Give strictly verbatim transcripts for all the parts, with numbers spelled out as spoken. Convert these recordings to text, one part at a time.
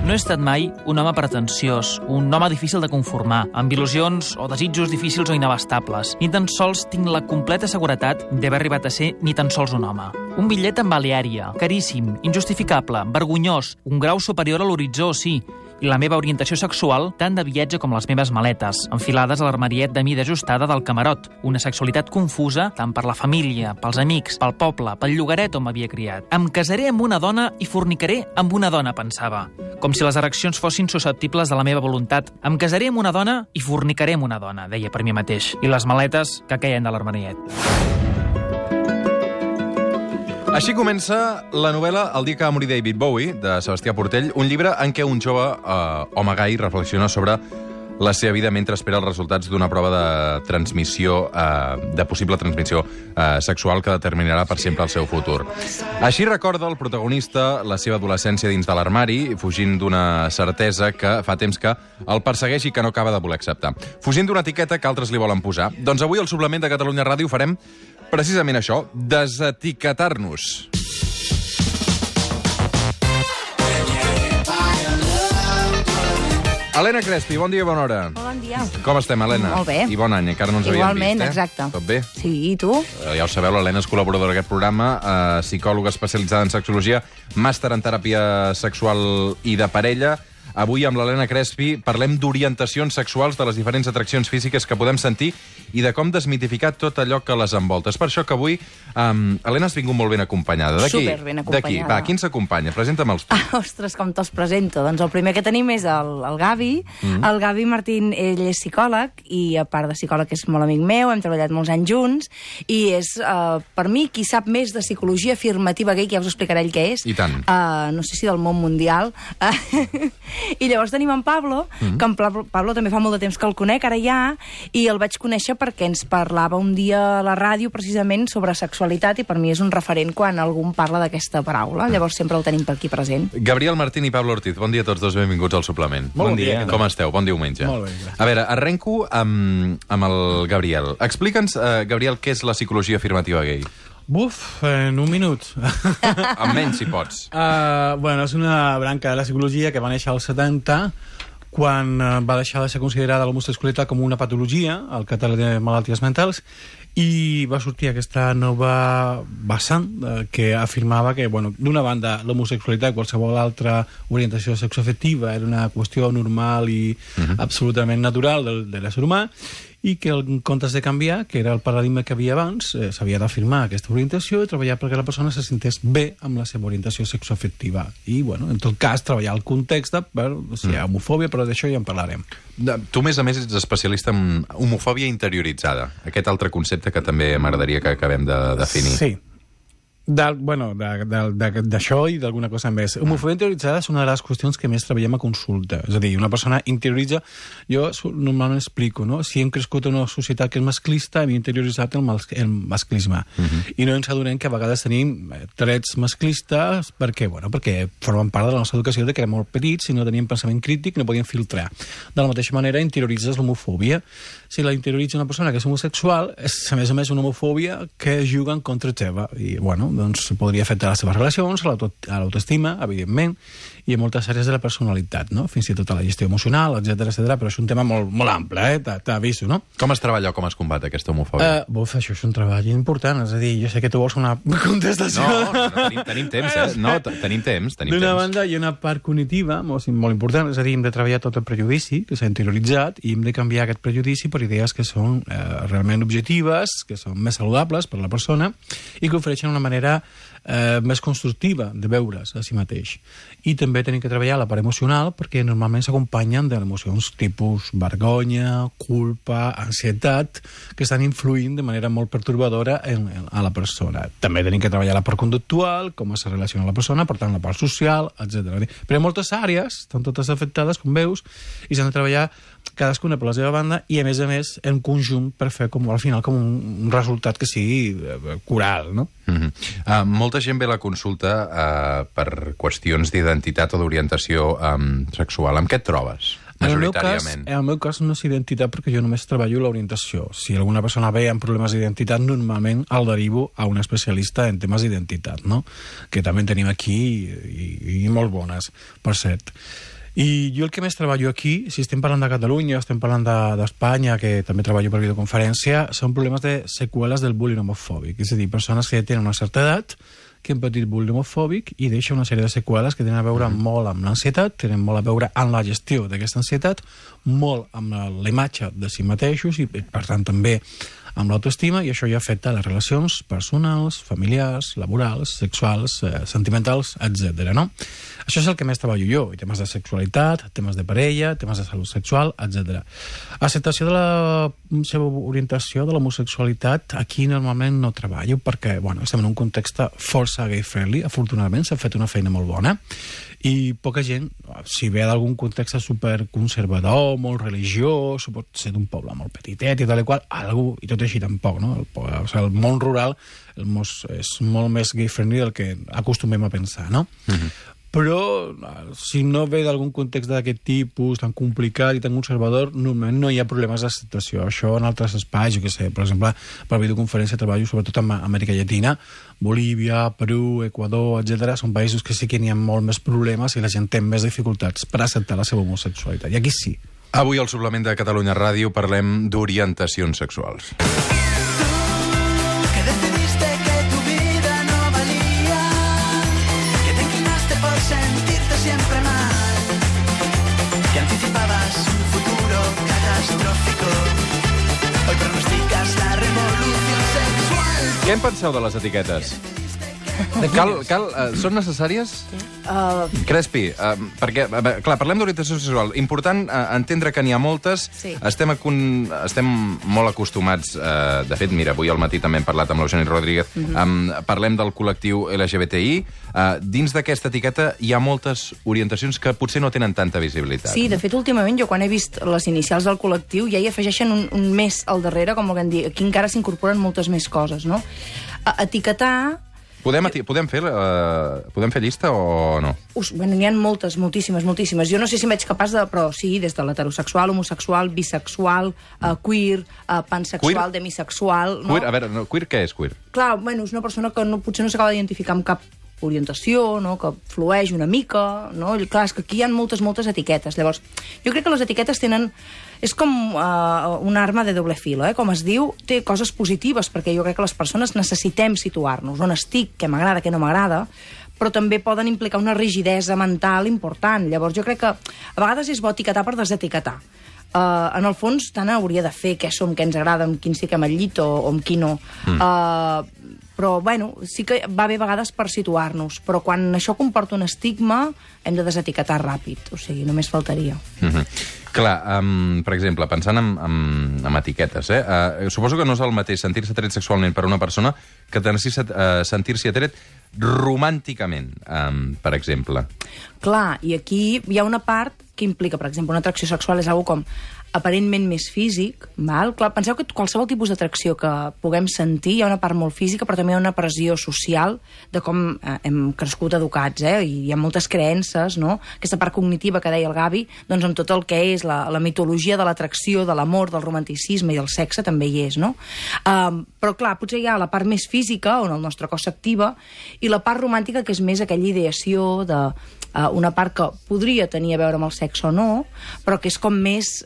No he estat mai un home pretensiós, un home difícil de conformar, amb il·lusions o desitjos difícils o inabastables. Ni tan sols tinc la completa seguretat d'haver arribat a ser ni tan sols un home. Un bitllet en Baleària, caríssim, injustificable, vergonyós, un grau superior a l'horitzó, sí, i la meva orientació sexual tant de viatge com les meves maletes, enfilades a l'armariet de mida ajustada del camarot. Una sexualitat confusa tant per la família, pels amics, pel poble, pel llogaret on m'havia criat. Em casaré amb una dona i fornicaré amb una dona, pensava. Com si les ereccions fossin susceptibles de la meva voluntat. Em casaré amb una dona i fornicaré amb una dona, deia per mi mateix. I les maletes que queien de l'armariet. Així comença la novel·la El dia que va morir David Bowie, de Sebastià Portell, un llibre en què un jove eh, home gai reflexiona sobre la seva vida mentre espera els resultats d'una prova de transmissió, eh, de possible transmissió eh, sexual que determinarà per sempre el seu futur. Així recorda el protagonista la seva adolescència dins de l'armari, fugint d'una certesa que fa temps que el persegueix i que no acaba de voler acceptar. Fugint d'una etiqueta que altres li volen posar. Doncs avui al suplement de Catalunya Ràdio farem precisament això, desetiquetar-nos. Helena Crespi, bon dia i bona hora. Bon dia. Com estem, Helena? Molt bé. I bon any, encara no ens havíem Igualment, vist, eh? exacte. Tot bé? Sí, i tu? Eh, Ja ho sabeu, l'Helena és col·laboradora d'aquest programa, eh, psicòloga especialitzada en sexologia, màster en teràpia sexual i de parella. Avui, amb l'Helena Crespi, parlem d'orientacions sexuals, de les diferents atraccions físiques que podem sentir i de com desmitificar tot allò que les envolta. És per això que avui, um, Helena, has vingut molt ben acompanyada. D'aquí? Superben acompanyada. D'aquí. Va, qui ens acompanya? Presenta'm-els tu. Ah, ostres, com te'ls presento. Doncs el primer que tenim és el, el Gavi. Mm. El Gavi Martín, ell és psicòleg, i a part de psicòleg és molt amic meu, hem treballat molts anys junts, i és, uh, per mi, qui sap més de psicologia afirmativa gay, que ja us explicaré ell què és. I tant. Uh, no sé si del món mundial. Uh, I llavors tenim en Pablo, mm. que en Pablo, Pablo també fa molt de temps que el conec, ara ja, i el vaig conèixer perquè ens parlava un dia a la ràdio precisament sobre sexualitat, i per mi és un referent quan algú parla d'aquesta paraula. Llavors sempre el tenim per aquí present. Gabriel Martín i Pablo Ortiz, bon dia a tots dos, benvinguts al suplement. Molt bon dia. Com esteu? Bon diumenge. Molt bé, gràcies. A veure, arrenco amb, amb el Gabriel. Explica'ns, uh, Gabriel, què és la psicologia afirmativa gay? Buf, en un minut. Almenys, si pots. Uh, bueno, és una branca de la psicologia que va néixer als setanta, quan uh, va deixar de ser considerada l'homosexualitat com una patologia, al catàleg de malalties mentals, i va sortir aquesta nova vessant eh, que afirmava que, bueno, d'una banda, l'homosexualitat, qualsevol altra orientació sexoafectiva, era una qüestió normal i uh-huh. absolutament natural de, de l'ésser humà, i que en comptes de canviar, que era el paradigma que havia abans, eh, s'havia d'afirmar aquesta orientació i treballar perquè la persona se sentés bé amb la seva orientació sexoafectiva. I, bueno, en tot cas, treballar el context de, bueno, si hi ha homofòbia, però d'això ja en parlarem. Tu, a més a més, ets especialista en homofòbia interioritzada. Aquest altre concepte que també m'agradaria que acabem de definir. Sí. De, bueno, d'això i d'alguna cosa més. Homofòbia interioritzada és una de les qüestions que més treballem a consulta. És a dir, una persona interioritza... Jo normalment explico, no? Si hem crescut en una societat que és masclista, hem interioritzat el, mas, el masclisme. Uh-huh. I no ens adonem que a vegades tenim trets masclistes perquè, bueno, perquè formen part de la nostra educació de que érem molt petits, si no teníem pensament crític, no podíem filtrar. De la mateixa manera, interioritzes l'homofòbia. Si la interioritza una persona que és homosexual, és a més a més una homofòbia que juga en contra teva. I, bueno, doncs podria afectar les seves relacions, a l'autoestima, evidentment, i a moltes àrees de la personalitat, no? Fins i tot a la gestió emocional, etcètera, etcètera. Però és un tema molt, molt ample, eh? T'ha vist, no? Com es treballa o com es combat aquesta homofòbia? Uh, buf, això és un treball important. És a dir, jo sé que tu vols una contestació... No, no tenim, tenim temps, eh? No, tenim temps, tenim D'una temps. banda, hi ha una part cognitiva molt, molt important, és a dir, hem de treballar tot el prejudici que s'ha interioritzat i hem de canviar aquest prejudici per idees que són eh, realment objectives, que són més saludables per a la persona i que ofereixen una manera eh, més constructiva de veure's a si mateix. I també tenim que treballar la part emocional perquè normalment s'acompanyen de emocions tipus vergonya, culpa, ansietat, que estan influint de manera molt pertorbadora en, en, a la persona. També tenim que treballar la part conductual, com es relaciona la persona, per tant la part social, etcètera. Però moltes àrees estan totes afectades, com veus, i s'han de treballar cadascuna per la seva banda i, a més a més, en conjunt per fer, com, al final, com un resultat que sigui coral, no? Mm-hmm. uh, molta gent ve a la consulta uh, per qüestions d'identitat o d'orientació um, sexual. Amb què et trobes? En el, meu cas, en el meu cas no és identitat perquè jo només treballo l'orientació. Si alguna persona ve amb problemes d'identitat, normalment el derivo a un especialista en temes d'identitat, no? Que també en tenim aquí i, i molt bones, per cert. I jo el que més treballo aquí, si estem parlant de Catalunya, estem parlant d'Espanya, de, que també treballo per videoconferència, són problemes de seqüeles del bullying homofòbic. És a dir, persones que ja tenen una certa edat, que han patit bullying homofòbic i deixa una sèrie de seqüeles que tenen a veure mm. molt amb l'ansietat, tenen molt a veure amb la gestió d'aquesta ansietat, molt amb la, la imatge de si mateixos i, per tant, també amb l'autoestima, i això ja afecta les relacions personals, familiars, laborals, sexuals, eh, sentimentals, etcètera. No? Això és el que més treballo jo, i temes de sexualitat, temes de parella, temes de salut sexual, etcètera. Acceptació de la seva orientació, de l'homosexualitat, aquí normalment no treballo, perquè bueno, estem en un context força gay-friendly, afortunadament s'ha fet una feina molt bona, i poca gent, si ve d'algun context superconservador, molt religiós, pot ser d'un poble molt petitet i tal i qual, algú, i tot així tampoc, no? El, o sigui, el món rural el mos, és molt més gay-friendly del que acostumem a pensar, no? Mm-hmm. Però si no ve d'algun context d'aquest tipus tan complicat i tan conservador, normalment no hi ha problemes d'acceptació. Això en altres espais, jo què sé, per exemple, per videoconferència treballo sobretot en Amèrica Llatina, Bolívia, Perú, Equador, etcètera. Són països que sí que n'hi ha molt més problemes i la gent té més dificultats per acceptar la seva homosexualitat. I aquí sí. Avui al suplement de Catalunya Ràdio parlem d'orientacions sexuals. Què en penseu de les etiquetes? Cal, cal, uh, són necessàries? Uh... Crespi, uh, perquè, uh, clar, parlem d'orientació sexual. Important uh, entendre que n'hi ha moltes. Sí. Estem, acon... Estem molt acostumats, uh, de fet, mira, avui al matí també hem parlat amb l'Eugeni Rodríguez, uh -huh. um, parlem del col·lectiu L G B T I. Uh, dins d'aquesta etiqueta hi ha moltes orientacions que potser no tenen tanta visibilitat. Sí, de fet, últimament, jo quan he vist les inicials del col·lectiu ja hi afegeixen un, un mes al darrere, com volguem dir. Aquí encara s'incorporen moltes més coses, no? Uh, etiquetar... Podem, podem, fer, uh, podem fer llista o no? Us, bueno, n'hi ha moltes, moltíssimes, moltíssimes. Jo no sé si em veig capaç de... Però sí, des de l'heterosexual, homosexual, bisexual, uh, queer, uh, pansexual, queer? Demisexual... No? Queer, a veure, no, queer què és queer? Clar, bueno, és una persona que no, potser no s'acaba d'identificar amb cap orientació, no? Que flueix una mica, no? I, clar, és que aquí hi ha moltes, moltes etiquetes. Llavors, jo crec que les etiquetes tenen... És com uh, una arma de doble filo, eh? Com es diu, té coses positives, perquè jo crec que les persones necessitem situar-nos on estic, què m'agrada, què no m'agrada, però també poden implicar una rigidesa mental important. Llavors, jo crec que a vegades és bo etiquetar per desetiquetar. Uh, en el fons, tant hauria de fer què som, què ens agrada, amb quin fiquem al llit o, o amb qui no. Mm. Uh, però, bueno, sí que va bé a vegades per situar-nos, però quan això comporta un estigma, hem de desetiquetar ràpid, o sigui, només faltaria. Mm-hmm. Clar, um, per exemple, pensant en, en, en etiquetes, eh? Uh, suposo que no és el mateix sentir-se atret sexualment per una persona que uh, sentir-se atret romànticament, um, per exemple. Clar, i aquí hi ha una part que implica, per exemple, una atracció sexual és una cosa com aparentment més físic, val? Clar, penseu que qualsevol tipus d'atracció que puguem sentir hi ha una part molt física, però també hi ha una pressió social de com eh, hem crescut educats, eh? I hi ha moltes creences, no? Aquesta part cognitiva que deia el Gavi, doncs amb tot el que és la, la mitologia de l'atracció, de l'amor, del romanticisme i del sexe també hi és, no? Um, però clar, potser hi ha la part més física, on el nostre cos s'activa, i la part romàntica, que és més aquella ideació de uh, una part que podria tenir a veure amb el sexe o no, però que és com més...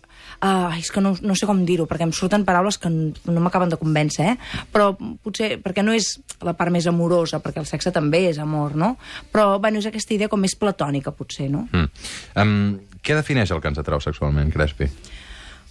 Uh, és que no, no sé com dir-ho, perquè em surten paraules que no m'acaben de convèncer, eh? Però potser, perquè no és la part més amorosa, perquè el sexe també és amor, no? Però, bueno, és aquesta idea com més platònica, potser, no? Mm. Um, què defineix el que ens atrau sexualment, Crespi?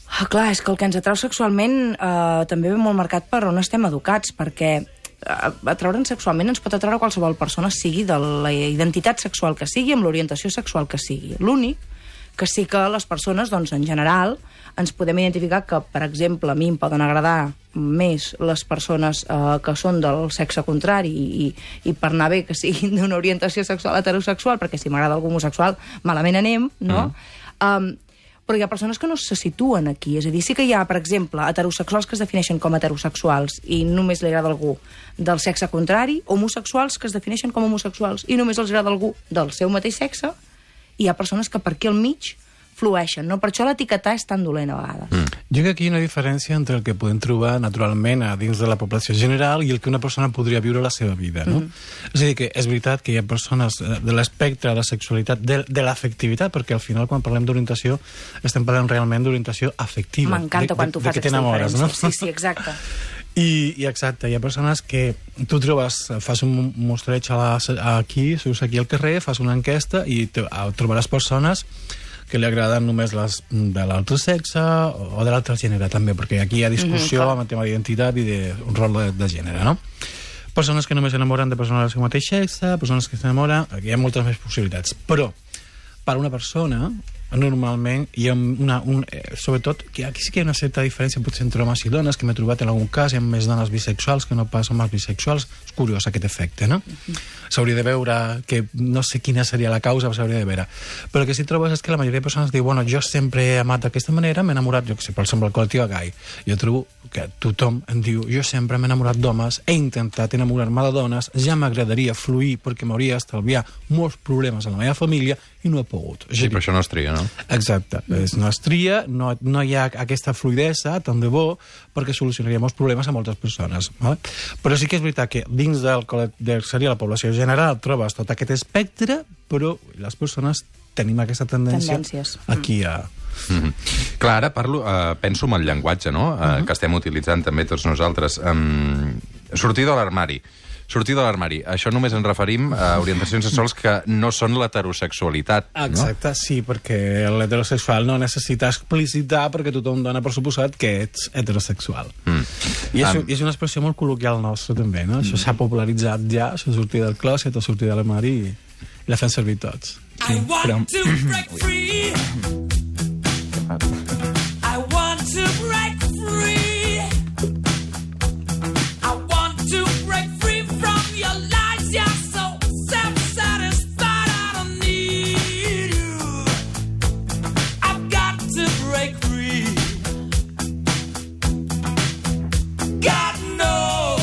Ah, clar, és que el que ens atrau sexualment uh, també ve molt marcat per on estem educats, perquè uh, atraure'ns sexualment ens pot atraure qualsevol persona, sigui de la identitat sexual que sigui, amb l'orientació sexual que sigui. L'únic que sí que les persones, doncs, en general, ens podem identificar que, per exemple, a mi em poden agradar més les persones eh, que són del sexe contrari i, i per anar bé que siguin d'una orientació sexual heterosexual, perquè si m'agrada algú homosexual, malament anem, no? Mm. Um, però hi ha persones que no se situen aquí. És a dir, sí que hi ha, per exemple, heterosexuals que es defineixen com heterosexuals i només li agrada algú del sexe contrari, homosexuals que es defineixen com homosexuals i només els agrada algú del seu mateix sexe, i hi ha persones que per aquí al mig flueixen, no? Per això l'etiquetar és tan dolent a vegades. Mm. Jo crec que aquí hi ha una diferència entre el que podem trobar naturalment a dins de la població general i el que una persona podria viure a la seva vida, no? Mm. És a dir, que és veritat que hi ha persones de l'espectre de la sexualitat, de, de l'afectivitat, perquè al final quan parlem d'orientació estem parlant realment d'orientació afectiva. M'encanta quan tu fas aquesta diferència. No? Sí, sí, exacte. I, I exacte, hi ha persones que tu trobes, fas un mostreig a la, aquí, surts aquí al carrer, fas una enquesta i te, trobaràs persones que li agraden només les de l'altre sexe o, o de l'altre gènere també, perquè aquí hi ha discussió mm-hmm, amb el tema d'identitat i d'un rol de, de gènere, no? Persones que només s'enamoren de persones del seu mateix sexe, persones que s'enamoren... Aquí hi ha moltes més possibilitats. Però, per una persona, normalment hi ha una... Un, eh, sobretot, que aquí sí que hi ha una certa diferència potser entre homes i dones, que m'he trobat en algun cas, hi ha més dones bisexuals que no pas homes bisexuals. És curiós aquest efecte, no? S'hauria de veure que no sé quina seria la causa, però s'hauria de veure. Però el que sí trobes és que la majoria de persones diu, bueno, jo sempre he amat d'aquesta manera, m'he enamorat, jo que sé, per exemple, el col·lectiu gai. Jo trobo que tothom em diu, jo sempre m'he enamorat d'homes, he intentat enamorar-me de dones, ja m'agradaria fluir perquè m'hauria d'estalviar molts problemes a la meva família i no he pogut. Sí, però això no es tria, no? Exacte. Mm. No es tria, no, no hi ha aquesta fluidesa, tant de bo, perquè solucionaria molts problemes a moltes persones. Vale? Però sí que és veritat que dins del, del seria la població general trobes tot aquest espectre, però les persones tenim aquesta tendència Tendències. aquí a... Mm-hmm. Clar, ara parlo, uh, penso en el llenguatge, no? Uh, uh-huh. Que estem utilitzant també tots nosaltres. Um, sortir de l'armari. Sortir de l'armari. Això només ens referim a orientacions sexuals que no són l'heterosexualitat, no? Exacte, sí, perquè l'heterosexual no necessita explicitar perquè tothom dona per suposat que ets heterosexual. Mm. I, és, um... I és una expressió molt col·loquial nostra, també, no? Això s'ha popularitzat ja, això sortir del clòset o sortir de l'armari i, i la fem servir tots. Sí, però... I want to break free. I want to break free. I want to break free from your lies. You're so self-satisfied. I don't need you. I've got to break free. God knows.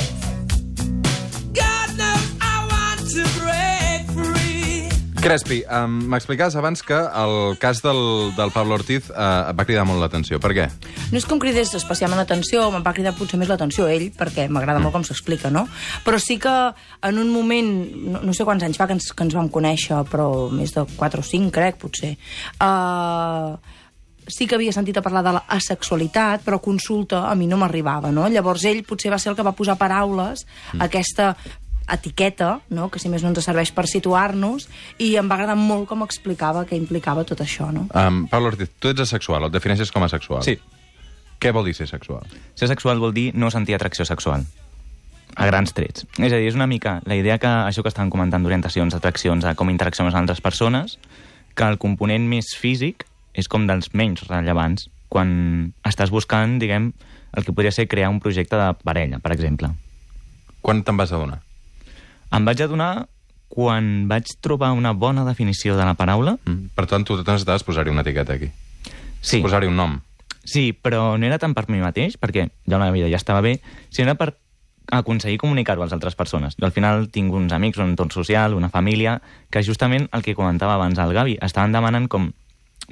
God knows I want to break free. Crespi, um, m'explicaves abans que el cas del, del Pablo Ortiz uh, va cridar molt l'atenció. Per què? No és que em cridés especialment l'atenció, me'n va cridar potser més l'atenció ell, perquè m'agrada mm. molt com s'explica, no? Però sí que en un moment, no, no sé quants anys fa que ens, que ens vam conèixer, però més de quatre o cinc, crec, potser, uh, sí que havia sentit a parlar de l'asexualitat, però consulta a mi no m'arribava, no? Llavors ell potser va ser el que va posar paraules mm. a aquesta etiqueta, no? Que si més no ens serveix per situar-nos, i em va agradar molt com explicava què implicava tot això, no? Um, Pablo Ortiz, tu ets asexual, o et defineixes com a sexual? Sí. Què vol dir ser sexual? Ser sexual vol dir no sentir atracció sexual, a grans trets. És a dir, és una mica la idea que això que estàvem comentant d'orientacions, atraccions, a com interacciones amb altres persones, que el component més físic és com dels menys rellevants quan estàs buscant, diguem, el que podria ser crear un projecte de parella, per exemple. Quan te'n vas adonar? Em vaig adonar quan vaig trobar una bona definició de la paraula. Mm. Per tant, tu necessitaves posar-hi una etiqueta aquí. Sí. Posar-hi un nom. Sí, però no era tant per mi mateix, perquè ja la vida ja estava bé, sinó per aconseguir comunicar-ho a les altres persones. Jo al final tinc uns amics, un entorn social, una família, que justament el que comentava abans el Gavi, estaven demanant com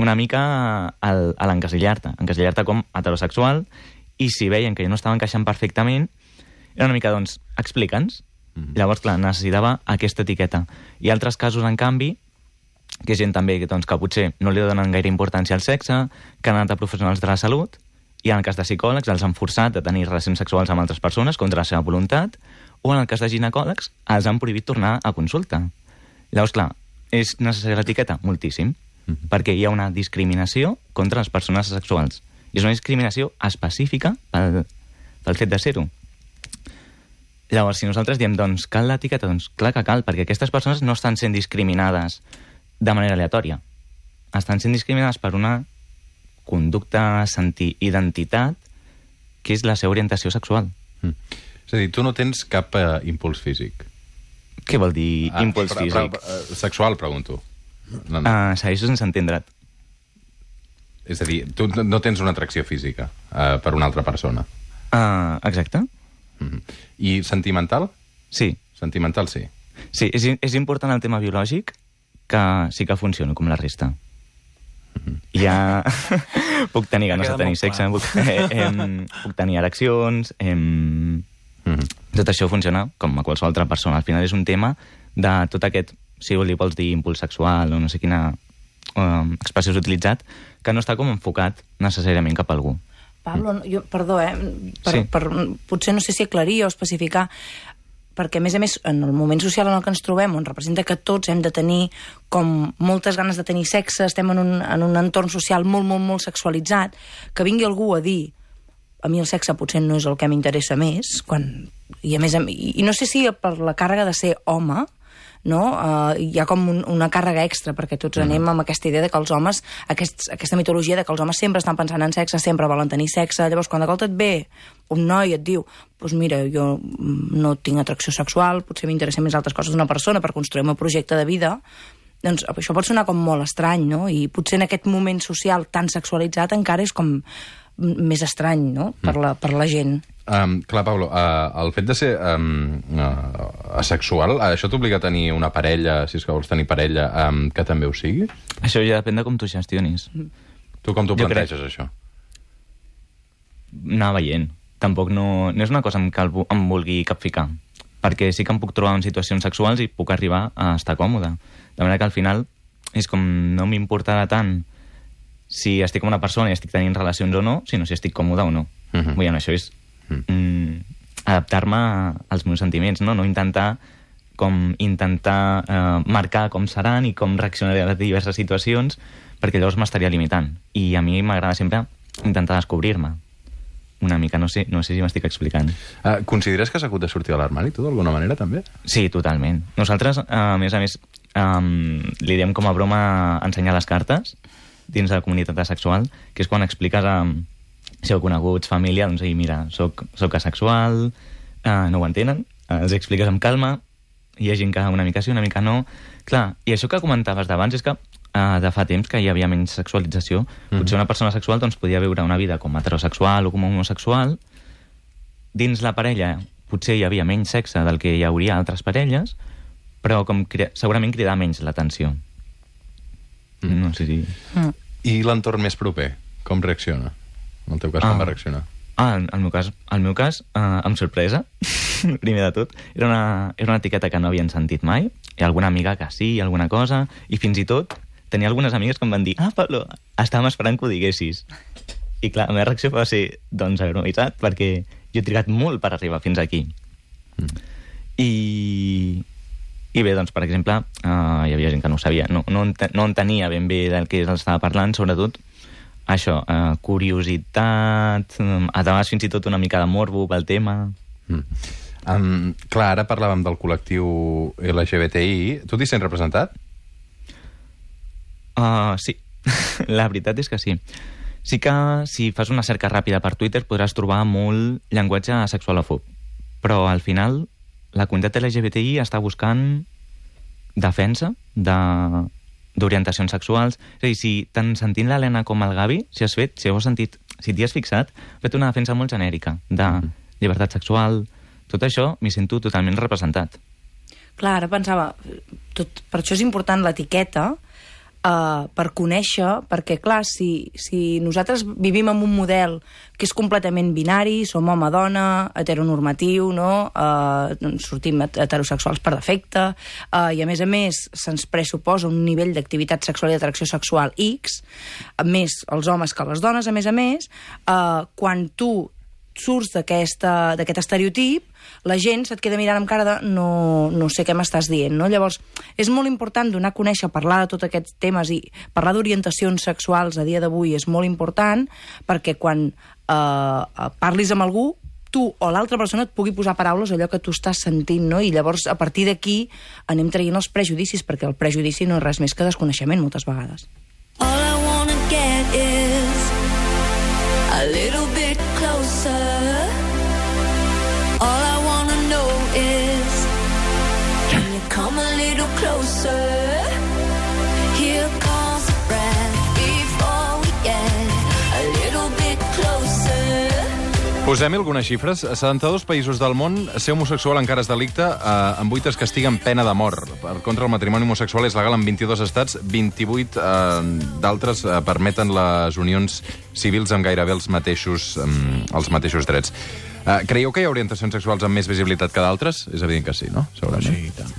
una mica el, a l'encasillar-te, encasillar-te com heterosexual, i si veien que jo no estava encaixant perfectament, era una mica, doncs, explica'ns. Llavors, clar, necessitava aquesta etiqueta. Hi ha altres casos, en canvi, que és gent també doncs, que potser no li donen gaire importància al sexe, que han anat a professionals de la salut, i en el cas de psicòlegs els han forçat a tenir relacions sexuals amb altres persones contra la seva voluntat, o en el cas de ginecòlegs els han prohibit tornar a consulta. Llavors, clar, és necessària l'etiqueta? Moltíssim, mm-hmm. perquè hi ha una discriminació contra les persones sexuals. I és una discriminació específica pel, pel fet de ser-ho. Llavors, si nosaltres diem, doncs, cal l'etiqueta, doncs clar que cal, perquè aquestes persones no estan sent discriminades de manera aleatòria. Estan sent discriminades per una conducta, sentir, identitat, que és la seva orientació sexual. Mm. És a dir, tu no tens cap uh, impuls físic. Què vol dir ah, impuls però, físic? Però, uh, sexual, pregunto. No, no. Uh, segueixo sense entendre't. És a dir, tu no tens una atracció física uh, per una altra persona. Uh, exacte. Mm-hmm. I sentimental? Sí. Sentimental, sí. Sí, és, és important el tema biològic, que sí que funciona com la resta. Mm-hmm. Ja puc tenir ganes de queda tenir molt sexe, clar. puc, eh, em, puc tenir ereccions, em, Mhm. tot això funciona com a qualsevol altra persona. Al final és un tema de tot aquest, si li vols dir impuls sexual o no sé quina um, expressió has utilitzat, que no està com enfocat necessàriament cap a algú. Pablo, no, jo, perdó, eh? Per, Sí. per, potser no sé si aclarir o especificar, perquè, a més a més, en el moment social en el que ens trobem, on representa que tots hem de tenir com moltes ganes de tenir sexe, estem en un, en un entorn social molt, molt, molt sexualitzat, que vingui algú a dir a mi el sexe potser no és el que m'interessa més, quan, i a més, a, i, i no sé si per la càrrega de ser home, no? Uh, hi ha com un, una càrrega extra, perquè tots anem amb aquesta idea de que els homes, aquests, aquesta mitologia de que els homes sempre estan pensant en sexe, sempre volen tenir sexe, llavors quan de volta et ve un noi i et diu, doncs mira, jo no tinc atracció sexual, potser m'interessen més altres coses d'una persona per construir el meu projecte de vida, doncs això pot sonar com molt estrany, no? I potser en aquest moment social tan sexualitzat encara és com més estrany, no?, per la, per la gent. Um, clar, Pablo, uh, el fet de ser um, uh, asexual, uh, això t'obliga a tenir una parella, si és que vols tenir parella, um, que també ho sigui? Això ja depèn de com tu gestionis. Tu com t'ho Jo planteges, això? Anar veient. Tampoc no, no és una cosa en què el vu- em vulgui capficar, perquè sí que em puc trobar en situacions sexuals i puc arribar a estar còmode. De manera que al final és com no m'importarà tant si estic amb una persona i estic tenint relacions o no, sinó si estic còmode o no. Mhm. Vull dir, això és mm, adaptar-me als meus sentiments, no? No intentar com intentar eh, marcar com seran i com reaccionaré a les diverses situacions, perquè llavors m'estaria limitant. I a mi m'agrada sempre intentar descobrir-me. Una mica, no sé, no sé si m'estic explicant. Uh, consideres que has hagut de sortir de l'armari, tu, d'alguna manera, també? Sí, totalment. Nosaltres, a més a més, um, li diem com a broma ensenyar les cartes dins de la comunitat asexual, que és quan expliques a, si heu coneguts, família, doncs, mira, soc, soc asexual, uh, no ho entenen, uh, els expliques amb calma, hi ha gent que una mica sí, una mica no. Clar, i això que comentaves d'abans és que uh, de fa temps que hi havia menys sexualització. Mm-hmm. Potser una persona sexual doncs, podia viure una vida com heterosexual o com homosexual. Dins la parella potser hi havia menys sexe del que hi hauria a altres parelles, però com cri- segurament cridar menys l'atenció. Mm. No sé si... Mm. I l'entorn més proper, com reacciona? En el teu cas, Ah. com va reaccionar? Ah, en el meu cas, el meu cas eh, amb sorpresa, primer de tot. Era una, era una etiqueta que no havien sentit mai, i alguna amiga que sí, alguna cosa, i fins i tot tenia algunes amigues que em van dir ah, Pablo, estàvem esperant que ho diguessis. I clar, la meva reacció va ser, doncs, agromitzat, perquè jo he trigat molt per arribar fins aquí. Mm. I... I bé, doncs, per exemple, uh, hi havia gent que no ho sabia, no, no, ente, no entenia ben bé del que estava parlant, sobretot això, uh, curiositat, um, a vegades fins i tot una mica de morbo pel tema. Mm. Um, clar, ara parlàvem del col·lectiu L G B T I. Tu t'hi sents representat? Uh, sí, la veritat és que sí. Sí que si fas una cerca ràpida per Twitter podràs trobar molt llenguatge sexualòfob, però al final la comunitat L G B T I està buscant defensa de d'orientacions sexuals. És a dir, si tant sentint l'Helena com el Gavi, si has fet, si heu sentit, si t'hi has fixat, he fet una defensa molt genèrica de llibertat sexual. Tot això m'hi sento totalment representat. Clar, ara pensava, tot, per això és important l'etiqueta, uh, per conèixer, perquè clar, si, si nosaltres vivim en un model que és completament binari, som home-dona, heteronormatiu, no? Uh, sortim heterosexuals per defecte, uh, i a més a més se'ns pressuposa un nivell d'activitat sexual i d'atracció sexual X, més els homes que les dones, a més a més, uh, quan tu surts d'aquest estereotip, la gent se't queda mirant amb cara de no, no sé què m'estàs dient, no? Llavors, és molt important donar a conèixer, parlar de tots aquests temes i parlar d'orientacions sexuals a dia d'avui és molt important perquè quan eh, parlis amb algú, tu o l'altra persona et pugui posar paraules allò que tu estàs sentint, no? I llavors, a partir d'aquí, anem traient els prejudicis, perquè el prejudici no és res més que desconeixement, moltes vegades. All I wanna get is a little bit closer. All I wanna know is, can you come a little closer? Here comes the breath before we get a little bit closer. Posem-hi algunes xifres. A setanta-dos països del món, ser homosexual encara és delicte, eh, en vuit es castiga amb pena de mort. Per contra, el matrimoni homosexual és legal en vint-i-dos estats, vint-i-vuit eh, d'altres eh, permeten les unions civils amb gairebé els mateixos, eh, els mateixos drets. Eh, creieu que hi ha orientacions sexuals amb més visibilitat que d'altres? És evident que sí, no? Segurament. Sí, i tant.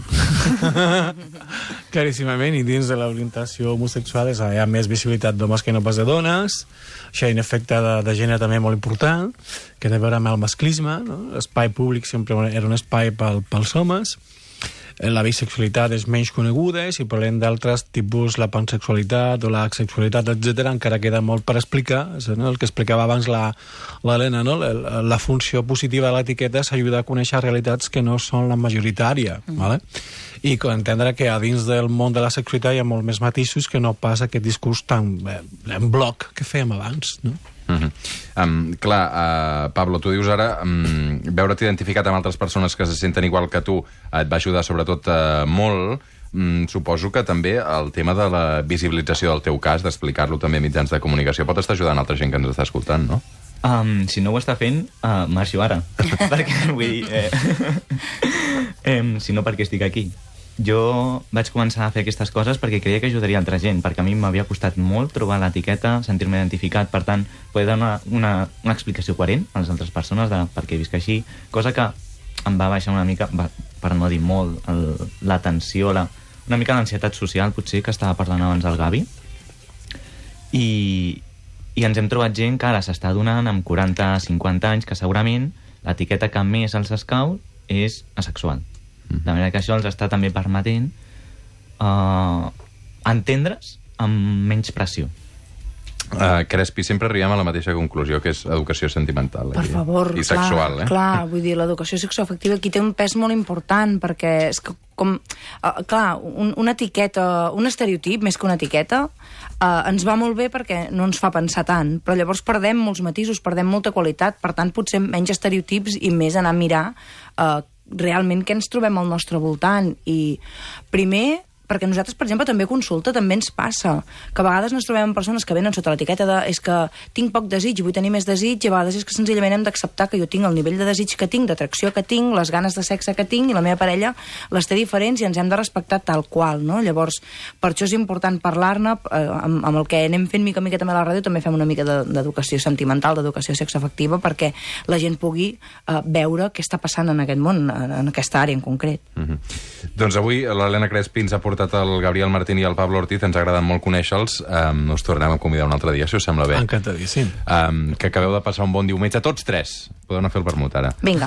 Claríssimament, i dins de l'orientació homosexual és, hi ha més visibilitat d'homes que no pas de dones. Això hi ha un efecte de, de gènere també molt important, que té a veure amb el masclisme, no? L'espai públic sempre era un espai pel, pels homes. La bisexualitat és menys coneguda, i si parlem d'altres tipus, la pansexualitat o l'asexualitat, etcètera, encara queda molt per explicar. No? El que explicava abans l'Helena, no? la, la funció positiva de l'etiqueta és ajudar a conèixer realitats que no són la majoritària. Mm. Vale? I entendre que a dins del món de la sexualitat hi ha molt més matisos que no pas aquest discurs tan eh, en bloc que fèiem abans, no? Uh-huh. um, clar, uh, Pablo, tu dius ara um, veure't identificat amb altres persones que se senten igual que tu et va ajudar sobretot uh, molt. um, suposo que també el tema de la visibilització del teu cas, d'explicar-lo també a mitjans de comunicació, pot estar ajudant altra gent que ens està escoltant, no? Um, si no ho està fent, uh, marxo ara. Perquè, vull dir... Eh, eh, si no, perquè estic aquí. Jo vaig començar a fer aquestes coses perquè creia que ajudaria altra gent, perquè a mi m'havia costat molt trobar l'etiqueta, sentir-me identificat, per tant, poder donar una, una explicació coherent a les altres persones de per què visc així, cosa que em va baixar una mica, va, per no dir molt, l'atenció, la, una mica l'ansietat social, potser, que estava parlant abans del Gavi. I, i ens hem trobat gent que ara s'està donant amb quaranta cinquanta anys que segurament l'etiqueta que més els escau és asexual. De manera que això els està també permetent uh, entendre's amb menys pressió. Uh, Crespi, sempre arribem a la mateixa conclusió, que és educació sentimental. Per aquí. favor, I clar, sexual, eh? clar, vull dir, l'educació sexoafectiva aquí té un pes molt important, perquè és que, com, uh, clar, un, una etiqueta, un estereotip, més que una etiqueta, uh, ens va molt bé perquè no ens fa pensar tant, però llavors perdem molts matisos, perdem molta qualitat, per tant, potser menys estereotips i més anar a mirar uh, realment què ens trobem al nostre voltant. I primer, perquè nosaltres, per exemple, també consulta, també ens passa, que a vegades ens trobem amb persones que venen sota l'etiqueta de és que tinc poc desig, vull tenir més desig, i a vegades és que senzillament hem d'acceptar que jo tinc el nivell de desig que tinc, d'atracció que tinc, les ganes de sexe que tinc, i la meva parella les té diferents i ens hem de respectar tal qual, no? Llavors, per això és important parlar-ne, eh, amb, amb el que anem fent mica mica també a la ràdio, també fem una mica d'educació de, sentimental, d'educació sexoafectiva, perquè la gent pugui eh, veure què està passant en aquest món, en, en aquesta àrea en concret. Mm-hmm. Doncs avui l'Helena Crespi ens ha portat el Gabriel Martín i el Pablo Ortiz, ens ha agradat molt conèixer-los. Um, us tornem a convidar un altre dia, si us sembla bé. Encantadíssim. Um, que acabeu de passar un bon diumenge, tots tres. Podeu anar a fer el vermut ara. Vinga.